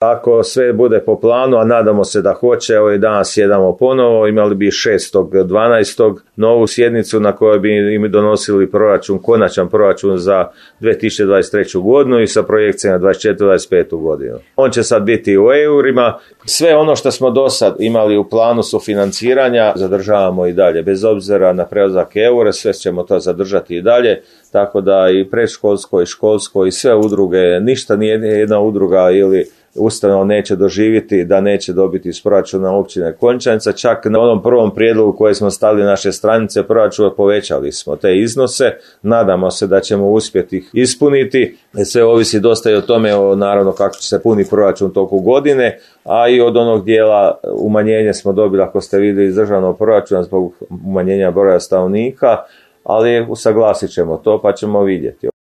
Ako sve bude po planu, a nadamo se da hoće, evo i danas jedamo ponovo, imali bi 6.12. novu sjednicu na kojoj bi im donosili proračun, konačan proračun za 2023. godinu i sa projekcijama 2024-2025. godinu. On će sad biti u eurima. Sve ono što smo do sad imali u planu sufinanciranja zadržavamo i dalje, bez obzira na prelazak eura, sve ćemo to zadržati i dalje, tako da i predškolsko i školsko i sve udruge, ništa nije jedna udruga ili ustanova neće doživjeti da neće dobiti iz proračuna općine Končanica. Čak na onom prvom prijedlogu koje smo stavili na naše stranice proračuna povećali smo te iznose. Nadamo se da ćemo uspjeti ih ispuniti. Sve ovisi dosta i o tome, naravno, kako će se puni proračun toku godine, a i od onog dijela umanjenja smo dobili, ako ste vidjeli, iz državnog proračuna zbog umanjenja broja stanovnika, ali usaglasit ćemo to pa ćemo vidjeti.